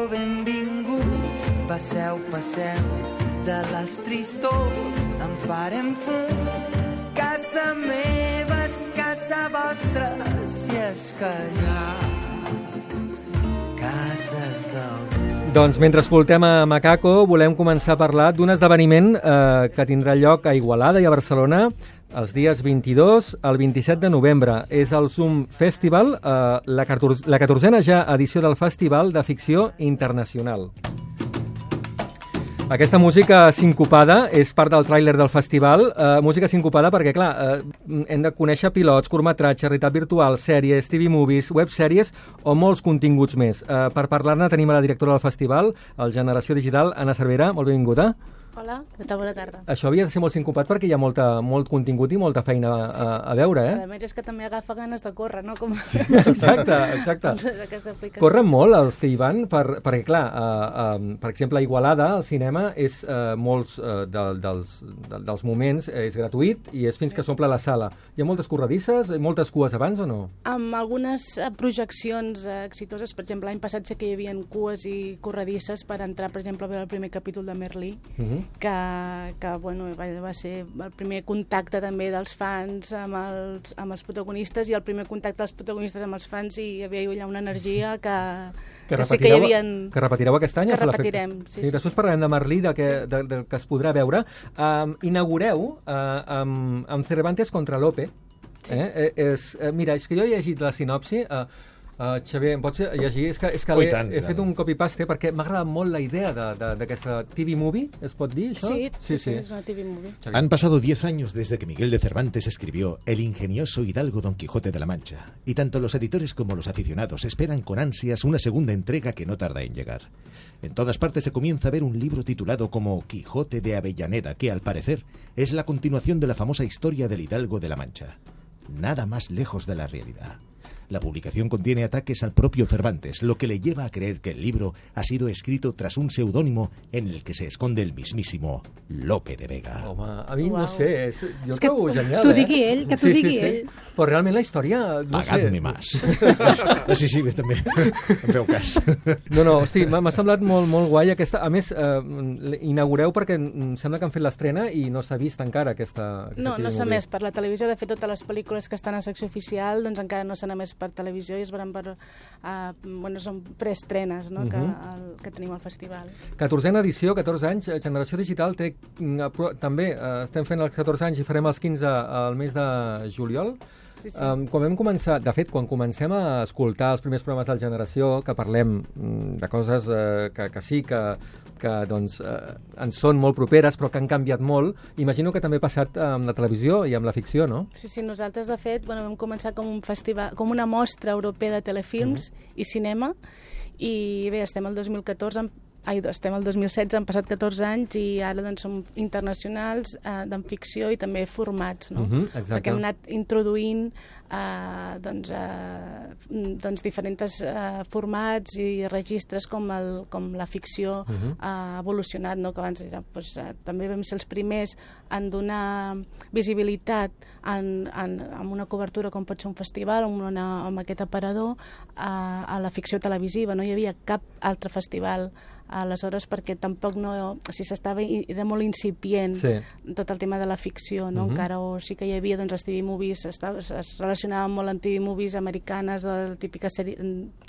Sigueu benvinguts, passeu, passeu, de les tristors en farem fum. Casa meva és casa vostra, si és que hi ha cases del... Doncs mentre escoltem a Macaco, volem començar a parlar d'un esdeveniment que tindrà lloc a Igualada i a Barcelona els dies 22 al 27 de novembre. És el Zoom Festival, la 14a ja edició del Festival de Ficció Internacional. Aquesta música sincopada és part del tràiler del festival, música sincopada perquè, clar, hem de conèixer pilots, curtmetratges, realitat virtual, sèries, TV movies, websèries o molts continguts més. Per parlar-ne tenim a la directora del festival, el Generació Digital, Anna Cervera, molt benvinguda. Hola, bona tarda. Això havia de ser molt sincopat perquè hi ha molt contingut i molta feina a veure, A més, és que també agafa ganes de córrer, no? Com... Exacte. Corren molt els que hi van, perquè, clar, per exemple, a Igualada, el cinema, és molts dels moments és gratuït i és fins que s'omple la sala. Hi ha moltes corredisses, moltes cues abans o no? Amb algunes projeccions exitoses, per exemple, l'any passat sé que hi havia cues i corredisses per entrar, per exemple, a veure el primer capítol de Merlí, que bueno, va ser el primer contacte també dels fans amb els protagonistes i el primer contacte dels protagonistes amb els fans, i hi havia allà una energia que sí que hi havia... Que repetireu aquest any? Que repetirem, sí. Després parlarem de Merlí, del que es podrà veure. Inaugureu amb Cervantes contra Lope. Sí. Mira, és que jo he llegit la sinopsi... Xavier, em pots llegir? És que he fet un copy-paste perquè m'ha agradat molt la idea d'aquesta TV movie, ¿es pot dir això? Sí, es una TV movie. Xavier. Han pasado 10 años desde que Miguel de Cervantes escribió El ingenioso hidalgo Don Quijote de la Mancha, y tanto los editores como los aficionados esperan con ansias una segunda entrega que no tarda en llegar. En todas partes se comienza a ver un libro titulado como Quijote de Avellaneda, que al parecer es la continuación de la famosa historia del hidalgo de la Mancha. Nada más lejos de la realidad. La publicación contiene ataques al propio Cervantes, lo que le lleva a creer que el libro ha sido escrito tras un seudónimo en el que se esconde el mismísimo Lope de Vega. Home, a mi no sé, jo trobo genial. T'ho digui ell, que t'ho digui ell. Però realment la història... Pagadme más. Sí, també, em feu cas. No, hosti, m'ha semblat molt guai aquesta... A més, inaugureu perquè em sembla que han fet l'estrena i no s'ha vist encara aquesta No s'ha més per la televisió. De fet, totes les pel·lícules que estan a secció oficial doncs encara no s'han emès per televisió i es veran per... són preestrenes, no? Que tenim al festival. 14a edició, 14 anys, Generació Digital té... També estem fent els 14 anys i farem els 15 al mes de juliol. Sí. Quan vam començar, de fet, quan comencem a escoltar els primers programes del Generació, que parlem de coses que sí, que doncs, ens són molt properes, però que han canviat molt, imagino que també ha passat amb la televisió i amb la ficció, no? Sí, nosaltres, de fet, vam començar com un festival, com una mostra europea de telefilms i cinema, i bé, estem al 2014, estem al 2016, han passat 14 anys i ara doncs, som internacionals en ficció i també formats, no? Perquè hem anat introduint diferents formats i registres com la ficció ha evolucionat, no? Que abans era, també vam ser els primers en donar visibilitat amb una cobertura com pot ser un festival, amb aquest aparador, a la ficció televisiva. No hi havia cap altre festival aleshores perquè tampoc era molt incipient tot el tema de la ficció, no? Encara sí que hi havia les TV movies, es relacionaven molt amb TV movies americanes, la típica sèrie,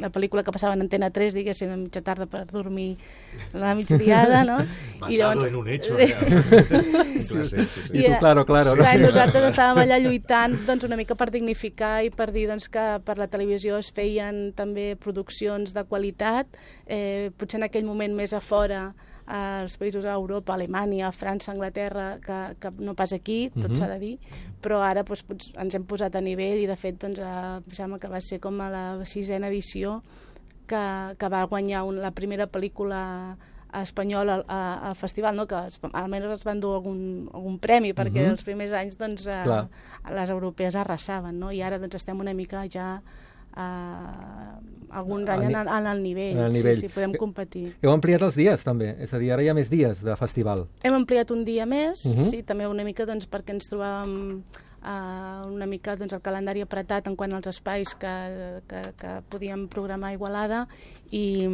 la pel·lícula que passava en Antena 3, diguéssim, a mitja tarda per dormir la migdiada, no? Basado en un hecho. I tu, claro. Nosaltres estàvem allà lluitant una mica per dignificar i per dir que per la televisió es feien també produccions de qualitat, potser en aquell moment més a fora, als països d'Europa, Alemanya, França, Anglaterra, que no pas aquí, tot s'ha de dir, però ara ens hem posat a nivell i de fet em sembla que va ser com a la 6a edició que va guanyar la primera pel·lícula espanyola al festival, no? Que almenys es van dur algun premi perquè els primers anys les europees arrasaven, no? I ara estem una mica ja algun any en el nivell. Sí, podem competir. Heu ampliat els dies, també? És a dir, ara hi ha més dies de festival. Hem ampliat un dia més, sí, també una mica perquè ens trobàvem una mica el calendari apretat en quant als espais que podíem programar a Igualada i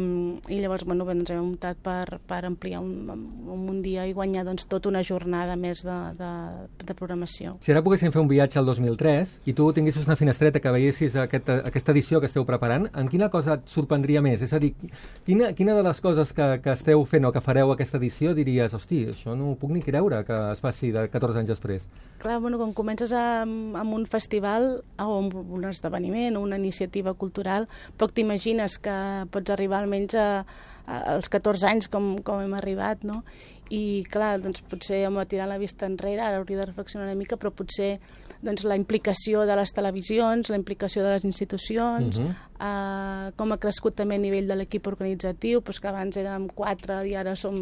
llavors doncs hem optat per ampliar un dia i guanyar doncs, tota una jornada més de programació. Si ara poguéssim fer un viatge al 2003 i tu tinguessis una finestreta que veiessis aquesta edició que esteu preparant, en quina cosa et sorprendria més? És a dir, quina de les coses que esteu fent o que fareu aquesta edició diries, hosti, això no ho puc ni creure que es faci de 14 anys després? Clar, quan comences amb un festival o amb un esdeveniment o una iniciativa cultural, poc t'imagines que pots arribar almenys als 14 anys com hem arribat, no? I clar, doncs potser hem de tirar la vista enrere, ara hauria de reflexionar una mica, però potser doncs, la implicació de les televisions, la implicació de les institucions, com ha crescut també a nivell de l'equip organitzatiu, doncs que abans érem 4 i ara som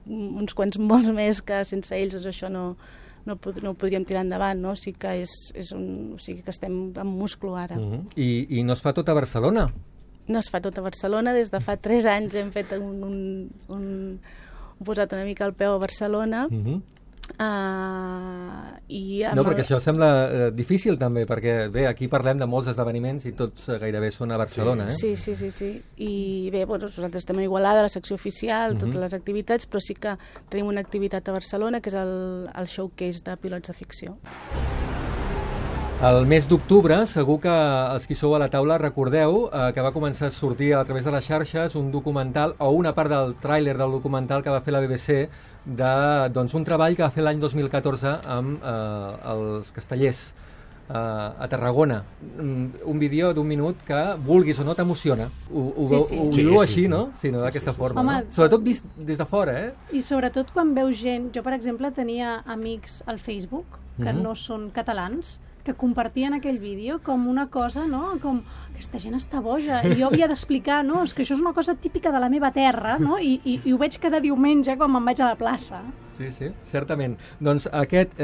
uns quants molts més que sense ells això no podríem tirar endavant, no? O sigui que que estem amb múscul ara. I no es fa tot a Barcelona? No es fa tot a Barcelona, des de fa 3 anys hem fet posat una mica el peu a Barcelona. No, perquè això sembla difícil també, perquè bé, aquí parlem de molts esdeveniments i tots gairebé són a Barcelona. Sí. I bé, nosaltres estem a Igualada, a la secció oficial, totes les activitats, però sí que tenim una activitat a Barcelona, que és el showcase de pilots de ficció. El mes d'octubre, segur que els qui sou a la taula recordeu que va començar a sortir a través de les xarxes un documental, o una part del tràiler del documental que va fer la BBC d'un treball que va fer l'any 2014 amb els Castellers a Tarragona. Un vídeo d'1 minut que, vulguis o no, t'emociona. Ho viu així, no? Sí, no, d'aquesta forma. Home, no? Sobretot vist des de fora, I sobretot quan veus gent... Jo, per exemple, tenia amics al Facebook que no són catalans, que compartien aquell vídeo com una cosa, no? Com, aquesta gent està boja, i jo havia d'explicar, no? És que això és una cosa típica de la meva terra, no? I ho veig cada diumenge quan me'n vaig a la plaça. Sí, certament. Doncs aquest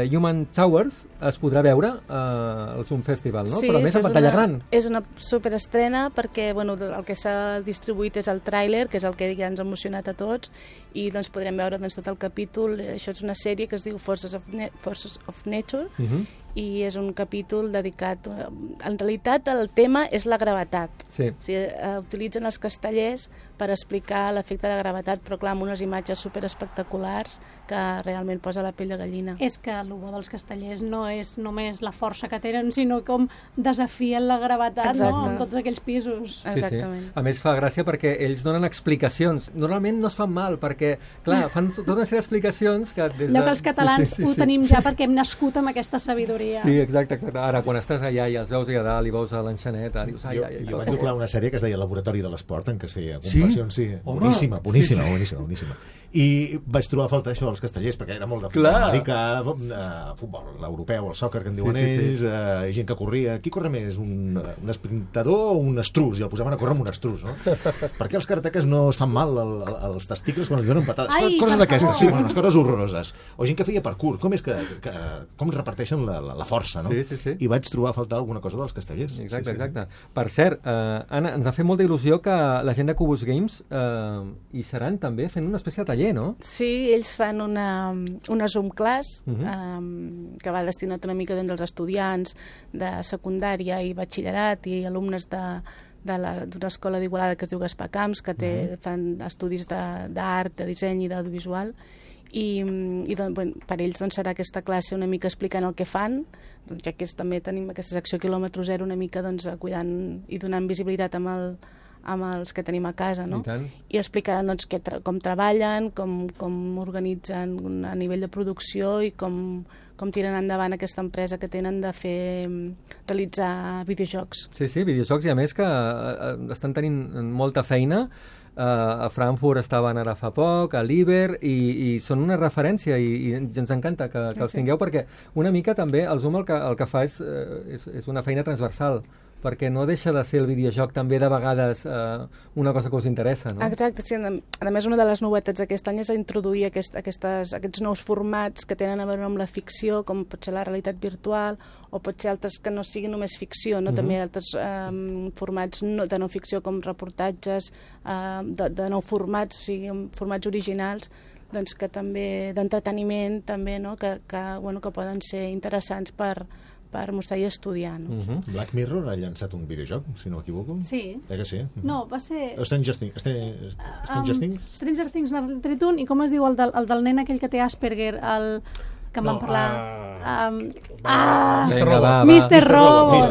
Human Towers es podrà veure al Zoom Festival, no? Sí, però més a pantalla gran. És una superestrena perquè el que s'ha distribuït és el tràiler, que és el que ja ens ha emocionat a tots, i doncs podrem veure tot el capítol. Això és una sèrie que es diu Forces of Nature, i és un capítol dedicat... En realitat, el tema és la gravetat. Sí. O sigui, utilitzen els castellers per explicar l'efecte de la gravetat, però clar, amb unes imatges superespectaculars que realment posa la pell de gallina. És que el bo dels castellers no és només la força que tenen, sinó com desafien la gravetat, no? En tots aquells pisos. Exactament. Sí. A més, fa gràcia perquè ells donen explicacions. Normalment no es fan mal, perquè, clar, fan tota una sèrie d'explicacions que... Allò que els catalans ho tenim ja perquè hem nascut amb aquesta sabidoria. Sí, exacte. Ara, quan estàs allà i els veus allà dalt i veus a l'enxaneta, dius... Jo vaig doblar una sèrie que es deia Laboratori de l'Esport, en què es feia comparacions, boníssima. I vaig trobar a falta això als castellers, perquè era molt de futbol americà, futbol l'europeu, el sòquer, que en diuen ells, gent que corria. Qui corre més, un esprintador o un estrus? I el posaven a córrer amb un estrus, no? Per què els karateques no es fan mal als testicles quan els donen patades? Coses d'aquestes, sí, unes coses horroroses. O gent que feia parkour, com reparteixen la força, no? Sí. I vaig trobar a faltar alguna cosa dels castellers. Exacte. Per cert, Anna, ens ha fet molta il·lusió que la gent de Cubus Games hi seran també fent una espècie de taller, no? Sí, ells fan una Zoom class que va destinat una mica als estudiants de secundària i batxillerat i alumnes d'una escola d'Igualada que es diu Gaspar Camps, que fan estudis d'art, de disseny i d'audiovisual, i per ells serà aquesta classe una mica explicant el que fan, ja que també tenim aquesta secció quilòmetre zero una mica cuidant i donant visibilitat amb els que tenim a casa, no? I explicaran com treballen, com organitzen a nivell de producció i com tiren endavant aquesta empresa que tenen de realitzar videojocs. Sí, videojocs, i a més que estan tenint molta feina. A Frankfurt estaven ara fa poc, a l'Iber, i són una referència, i ens encanta que els tingueu, perquè una mica també el Zoom el que fa és una feina transversal, perquè no deixa de ser el videojoc també de vegades una cosa que us interessa, no? Exacte, sí. A més, una de les novetats d'aquest any és introduir aquests nous formats que tenen a veure amb la ficció, com pot ser la realitat virtual, o pot ser altres que no siguin només ficció, no? També altres formats de no ficció, com reportatges, de nou formats, o sigui, formats originals, que també d'entreteniment també, no? que poden ser interessants per per mostrar i estudiar. No? Black Mirror ha llançat un videojoc, si no m'equivoco. Sí. Que sí? No, va ser... Stranger Things. Stranger Things n'ha tret un, i com es diu el del nen aquell que té Asperger, el que em van parlar... Mr. Robot.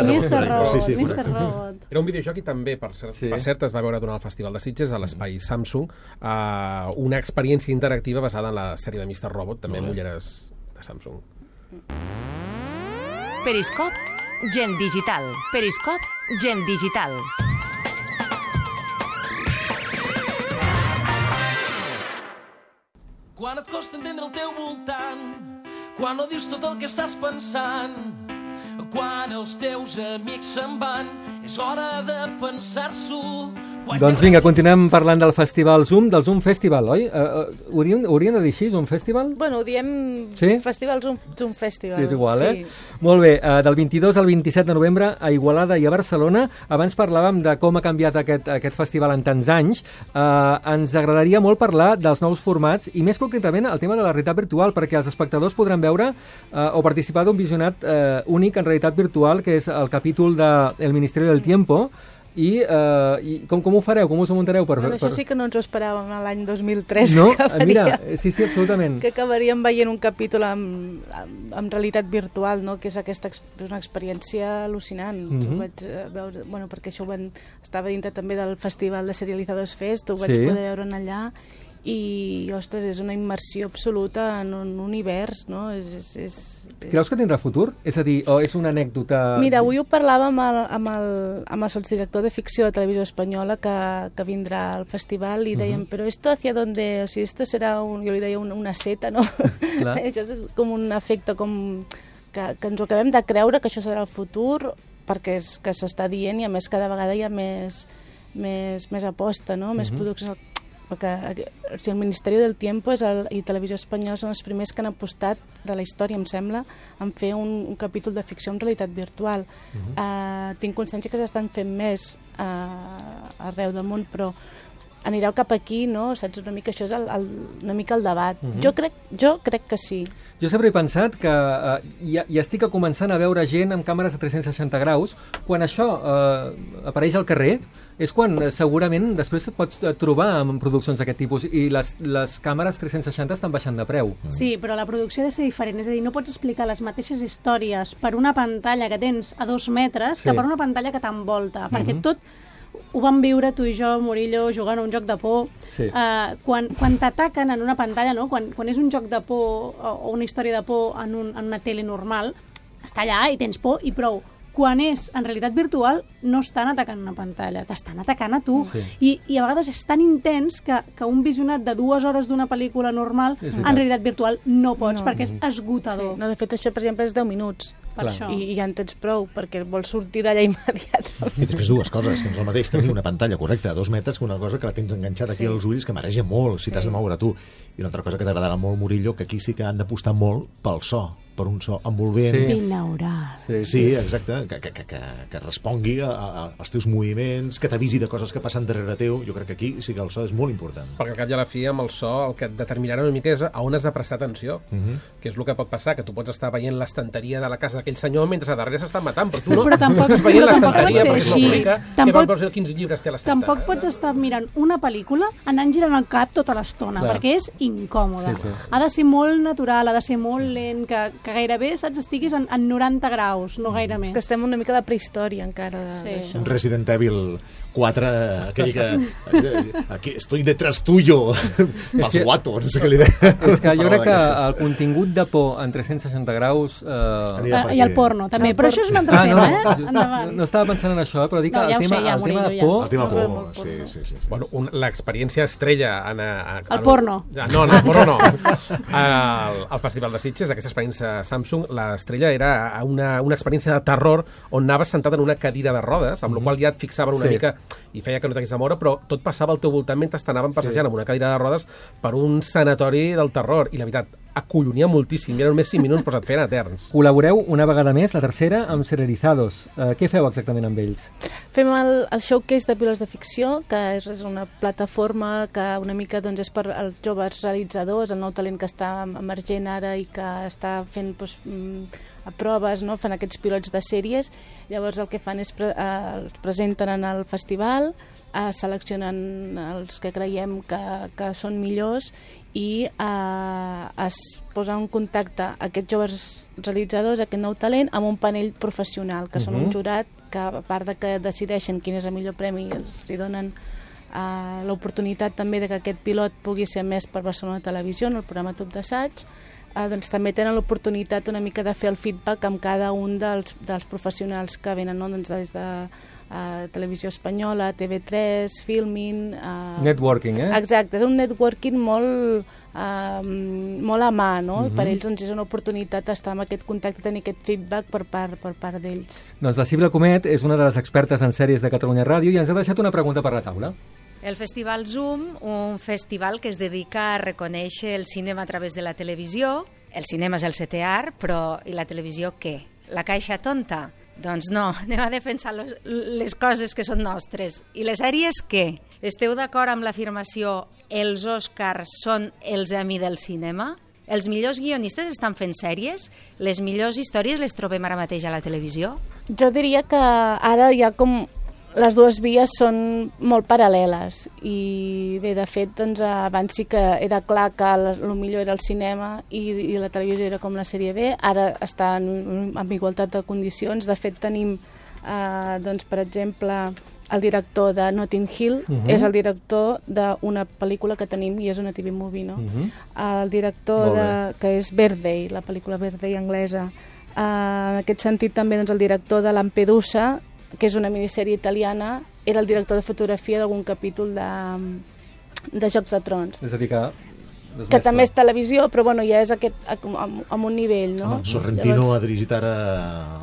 Era un videojoc i també, per cert, es va veure durant el Festival de Sitges a l'espai Samsung una experiència interactiva basada en la sèrie de Mr. Robot, també amb ulleres de Samsung. Periscop, gent digital. Periscop, gent digital. Quan et costa entendre el teu voltant, quan no dius tot el que estàs pensant, quan els teus amics se'n van, és hora de pensar-s'ho. Doncs vinga, continuem parlant del festival Zoom, del Zoom Festival, oi? Haurien de dir així, Zoom Festival? Bueno, ho diem Festival Zoom Festival. Sí, és igual, Molt bé, del 22 al 27 de novembre a Igualada i a Barcelona. Abans parlàvem de com ha canviat aquest festival en tants anys. Ens agradaria molt parlar dels nous formats i més concretament el tema de la realitat virtual, perquè els espectadors podran veure o participar d'un visionat únic en realitat virtual, que és el capítol de El Ministerio del Tiempo. I com ho fareu? Com us ho muntareu? Això sí que no ens ho esperàvem l'any 2003. No? Mira, sí, absolutament. Que acabaríem veient un capítol amb realitat virtual, no? Que és una experiència al·lucinant. Ho vaig veure, perquè això estava dintre també del Festival de Serializados Fest, ho vaig poder veure allà, i, ostres, és una immersió absoluta en un univers, no? Creus que tindrà futur? És a dir, o és una anècdota... Mira, avui ho parlàvem amb el sotsdirector de ficció de Televisió Espanyola que vindrà al festival i dèiem, però esto hacia donde... O sigui, esto serà, jo li deia, una seta, no? Això és com un efecte que ens ho acabem de creure, que això serà el futur, perquè és que s'està dient i a més cada vegada hi ha més aposta, no? Més produccions... Perquè el Ministeri del Tiempo i Televisió Espanyola són els primers que han apostat de la història, em sembla, en fer un capítol de ficció en realitat virtual. Tinc consciència que s'estan fent més arreu del món, però anireu cap aquí, no? Saps, una mica això és una mica el debat. Jo crec que sí. Jo sempre he pensat que ja estic començant a veure gent amb càmeres de 360 graus. Quan això apareix al carrer, és quan segurament després pots trobar en produccions d'aquest tipus i les càmeres 360 estan baixant de preu. Sí, però la producció ha de ser diferent. És a dir, no pots explicar les mateixes històries per una pantalla que tens a 2 metres que per una pantalla que t'envolta. Perquè tot ho vam viure tu i jo, Murillo, jugant a un joc de por. Quan t'ataquen en una pantalla, no? Quan és un joc de por o una història de por en una tele normal, està allà i tens por i prou. Quan és en realitat virtual, no estan atacant una pantalla, t'estan atacant a tu. I a vegades és tan intens que un visionat de 2 hores d'una pel·lícula normal, en realitat virtual no pots, perquè és esgotador. No, de fet, això, per exemple, és 10 minuts. I ja en tens prou, perquè vols sortir d'allà immediatament. I després dues coses, que no és el mateix tenir una pantalla correcta a 2 metres que una cosa que la tens enganxada aquí als ulls, que mareja molt si t'has de moure tu. I una altra cosa que t'agradarà molt, Murillo, que aquí sí que han d'apostar molt pel so, per un so envolvent. Binaural. Sí, exacte, que respongui als teus moviments, que t'avisi de coses que passen darrere teu. Jo crec que aquí sí que el so és molt important. Perquè al cap i a la fi, amb el so, el que et determinarà una mica és a on has de prestar atenció, que és el que pot passar, que tu pots estar veient l'estanteria de la casa d'aquell senyor mentre a darrere s'estan matant, però tu no estàs veient l'estanteria perquè és molt bonica, que vol veure quins llibres té a l'estanta. Tampoc pots estar mirant una pel·lícula anant girant el cap tota l'estona, perquè és incòmode. Ha de ser molt natural, ha de ser molt lent, que gairebé, saps, estiguis en 90 graus, no gaire més. És que estem una mica a la prehistòria encara d'això. Un Resident Evil 4, aquell que aquí estoy detrás tuyo, pas guato, no sé què li deia. És que jo crec que el contingut de por en 360 graus... I el porno, també, però això és un altre tema, No estava pensant en això, però dic que el tema de por... El tema por, sí. Bueno, l'experiència estrella... El porno. No, el porno no. Al Festival de Sitges, aquesta experiència Samsung, l'estrella era una experiència de terror on anaves sentat en una cadira de rodes, amb la qual ja et fixaven una mica i feia que no t'hagués de moure, però tot passava al teu voltant mentre t'anaven passejant amb una cadira de rodes per un sanatori del terror. I la veritat, acollonia moltíssim. Eren només 5 minuts, però se't feien eterns. Col·laboreu una vegada més, la tercera, amb Serializados. Què feu exactament amb ells? Fem el showcase de pilots de ficció, que és una plataforma que una mica doncs, és per als joves realitzadors, el nou talent que està emergent ara i que està fent doncs, proves, no? Fan aquests pilots de sèries. Llavors el que fan és els presenten en el festival, seleccionen els que creiem que són millors i es posa en contacte aquests joves realitzadors, aquest nou talent, amb un panell professional, que són un jurat que, a part de que decideixen quin és el millor premi, els donen l'oportunitat també de que aquest pilot pugui ser emès per Barcelona Televisió, en el programa Top d'Assaig. Doncs també tenen l'oportunitat una mica de fer el feedback amb cada un dels professionals que venen, no? Doncs des de Televisió Espanyola, TV3, Filmin... Networking, Exacte, és un networking molt a mà, no? Per ells doncs, és una oportunitat estar amb aquest contacte, tenir aquest feedback per part d'ells. Doncs la Sílvia Comet és una de les expertes en sèries de Catalunya Ràdio i ens ha deixat una pregunta per la taula. El Festival Zoom, un festival que es dedica a reconèixer el cinema a través de la televisió. El cinema és el setè art, però i la televisió què? La caixa tonta? Doncs no, anem a defensar les coses que són nostres. I les sèries què? Esteu d'acord amb l'afirmació els Oscars són els Emmy del cinema? Els millors guionistes estan fent sèries? Les millors històries les trobem ara mateix a la televisió? Jo diria que ara hi ha com... Les dues vies són molt paral·leles i bé, de fet, doncs, abans sí que era clar que el millor era el cinema i la televisió era com la sèrie B, ara estan en igualtat de condicions. De fet, tenim, doncs, per exemple, el director de Notting Hill és el director d'una pel·lícula que tenim i és una TV movie, no? El director que és Birthday, la pel·lícula Birthday anglesa. En aquest sentit també doncs, el director de Lampedusa, que és una minissèrie italiana, era el director de fotografia d'algun capítol de Jocs de Trons. És a dir, que també és televisió, però bueno, ja és amb un nivell, no? Sorrentino ha dirigit ara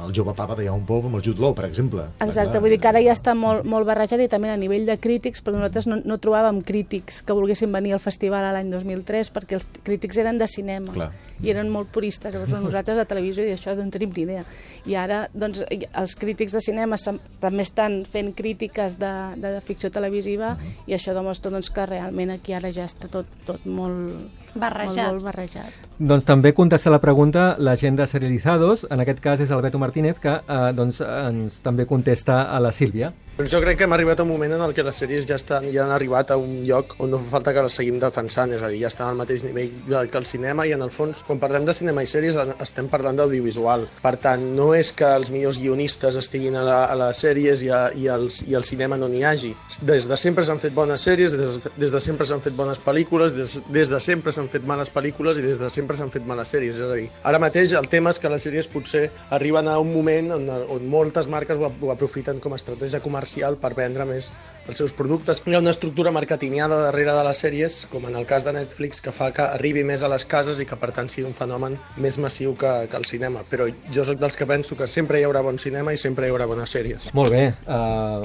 el jove papa de Young Pope amb el Jude Law, per exemple. Exacte, vull dir que ara ja està molt barrejat i també a nivell de crítics, perquè nosaltres no trobàvem crítics que volguessin venir al festival l'any 2003 perquè els crítics eren de cinema i eren molt puristes. Llavors nosaltres de televisió i això no en tenim ni idea. I ara doncs, els crítics de cinema també estan fent crítiques de ficció televisiva i això demostra doncs, que realment aquí ara ja està tot molt barrejat. Doncs també contesta la pregunta la gent de Serializados, en aquest cas és el Beto Martínez, que doncs, ens també contesta a la Sílvia. Doncs jo crec que hem arribat a un moment en el que les sèries ja han arribat a un lloc on no fa falta que les seguim defensant, és a dir, ja estan al mateix nivell que el cinema i en el fons, quan parlem de cinema i sèries, estem parlant d'audiovisual. Per tant, no és que els millors guionistes estiguin a les sèries i al cinema no n'hi hagi. Des de sempre s'han fet bones sèries, des de sempre s'han fet bones pel·lícules, des de sempre s'han fet males pel·lícules i des de sempre s'han fet males sèries. És a dir, ara mateix el tema és que les sèries potser arriben a un moment on moltes marques ho aprofiten com a estratègia comercial per vendre més els seus productes. Hi ha una estructura marketingiana darrere de les sèries, com en el cas de Netflix, que fa que arribi més a les cases i que per tant sigui un fenomen més massiu que el cinema. Però jo sóc dels que penso que sempre hi haurà bon cinema i sempre hi haurà bones sèries. Molt bé.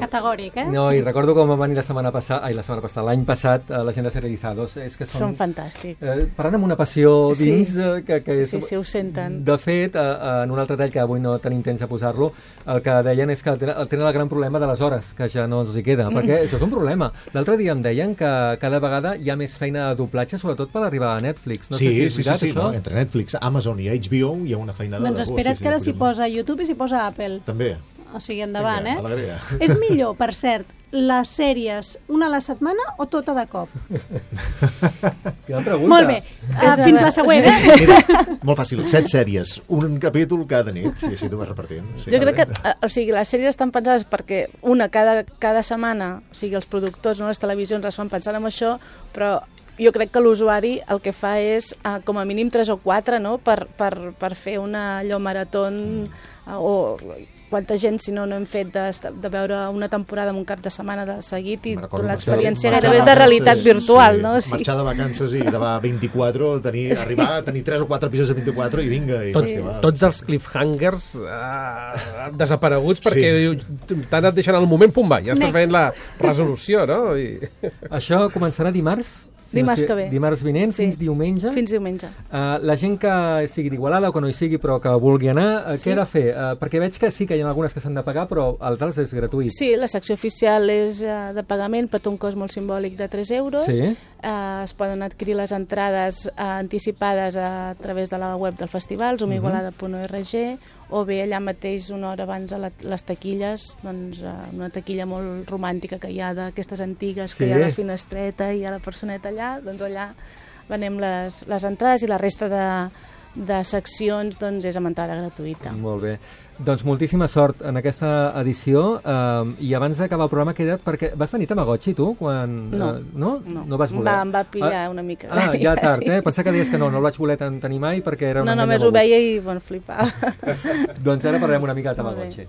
Categòric, No, i recordo com va venir l'any passat, la gent de Serializados. És que són fantàstics. Parlant amb una passió dins, que és... Sí, ho senten. De fet, en un altre tall que avui no tenim temps de posar-lo, el que deien és que tenen el gran problema de les hores, que ja no els hi queda, perquè això és un problema. L'altre dia em deien que cada vegada hi ha més feina de doblatge, sobretot per arribar a Netflix. No sé si és veritat, això? No? Entre Netflix, Amazon i HBO hi ha una feina de... Doncs espera't que ara s'hi posa YouTube i s'hi posa Apple. També. O sigui, endavant, Vinga, alegria. És millor, per cert, les sèries una a la setmana o tota de cop? Quina pregunta. Molt bé, fins la següent. Mira, molt fàcil, 7 sèries, un capítol cada nit, i així t'ho vas repartint. Sí, jo crec que, o sigui, les sèries estan pensades perquè una cada setmana, o sigui, els productors, no, les televisions es fan pensant en això, però jo crec que l'usuari el que fa és com a mínim 3 o 4, no?, per fer una allò maratón o... Quanta gent, si no hem fet de veure una temporada en un cap de setmana de seguit i l'experiència gairebé de realitat virtual, no? Sí. Marxar de vacances i gravar 24, arribar a tenir 3 o 4 episodis de 24 i vinga. Tots els cliffhangers desapareguts perquè t'han anat deixant al moment, pum, va, ja estàs veient la resolució, no? Això començarà dimarts? Dimarts que ve. Dimarts vinent, fins diumenge? Fins diumenge. La gent que sigui d'Igualada o que no hi sigui però que vulgui anar, què ha de fer? Perquè veig que sí que hi ha algunes que s'han de pagar, però altres és gratuït. Sí, la secció oficial és de pagament, però té un cost molt simbòlic de 3 euros. Sí. Es poden adquirir les entrades anticipades a través de la web del festival, zoomigualada.org, o bé allà mateix una hora abans a les taquilles, doncs una taquilla molt romàntica que hi ha d'aquestes antigues, que hi ha la finestreta i hi ha la personeta allà, doncs allà venem les entrades i la resta de seccions doncs és amb entrada gratuïta. Molt bé. Doncs moltíssima sort en aquesta edició i abans d'acabar el programa he quedat perquè vas tenir Tamagotchi tu? No vas voler? Em va pillar una mica. Ja tard, Pensava que deies que no el vaig voler tenir mai perquè era una només ho veia i flipava. Doncs ara parlem una mica de Tamagotchi.